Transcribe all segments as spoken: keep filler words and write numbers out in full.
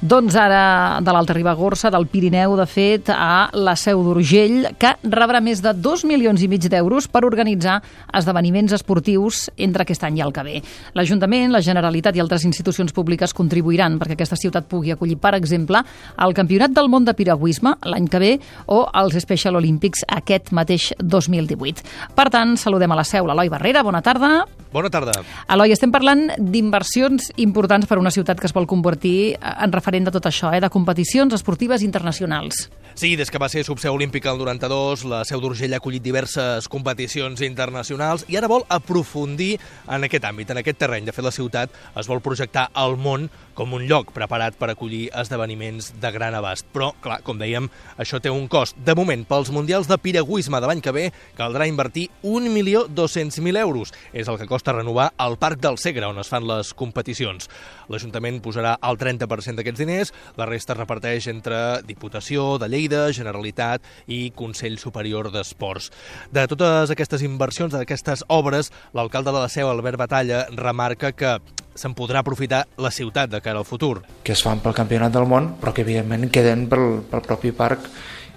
Doncs ara de l'Alta Ribagorça, del Pirineu, de fet, a la Seu d'Urgell, que rebrà més de dos milions i mig d'euros per organitzar esdeveniments esportius entre aquest any i el que ve. L'Ajuntament, la Generalitat i altres institucions públiques contribuiran perquè aquesta ciutat pugui acollir, per exemple, el Campionat del Món de Piragüisme l'any que ve o els Special Olympics aquest mateix dos mil divuit. Per tant, saludem a la Seu l'Eloi Barrera. Bona tarda. Bona tarda. Eloi, estem parlant d'inversions importants per a una ciutat que es vol convertir en referent de tot això, eh? de competicions esportives internacionals. Sí, des que va ser subseu olímpica el noranta-dos, la Seu d'Urgell ha acollit diverses competicions internacionals i ara vol aprofundir en aquest àmbit, en aquest terreny. De fet, la ciutat es vol projectar al món com un lloc preparat per acollir esdeveniments de gran abast. Però, clar, com dèiem, això té un cost. De moment, pels Mundials de Piragüisme de l'any que ve, caldrà invertir un milió dos-cents mil euros. És el que costa renovar el Parc del Segre, on es fan les competicions. L'Ajuntament posarà el trenta per cent d'aquests diners, la resta es reparteix entre Diputació de Lleida, Generalitat i Consell Superior d'Esports. De totes aquestes inversions, d'aquestes obres, l'alcalde de la Seu, Albert Batalla, remarca que se'n podrà aprofitar la ciutat de cara al futur. Que es fan pel Campionat del Món, però que evidentment queden pel, pel propi parc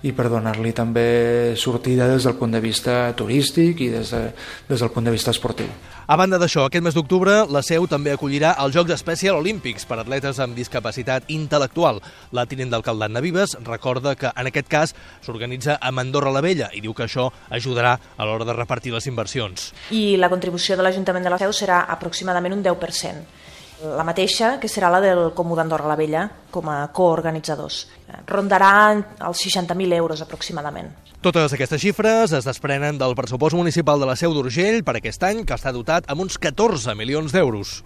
i per donar-li també sortida des del punt de vista turístic i des, de, des del punt de vista esportiu. A banda d'això, aquest mes d'octubre, la Seu també acollirà els Jocs Special Olímpics per atletes amb discapacitat intel·lectual. La tinent d'alcalde Anna Vives recorda que en aquest cas s'organitza a Andorra la Vella i diu que això ajudarà a l'hora de repartir les inversions. I la contribució de l'Ajuntament de la Seu serà aproximadament un deu per cent. La mateixa que serà la del Comú d'Andorra la Vella com a coorganitzadors. Rondarà els seixanta mil euros aproximadament. Totes aquestes xifres es desprenen del pressupost municipal de la Seu d'Urgell per aquest any, que està dotat amb uns catorze milions d'euros.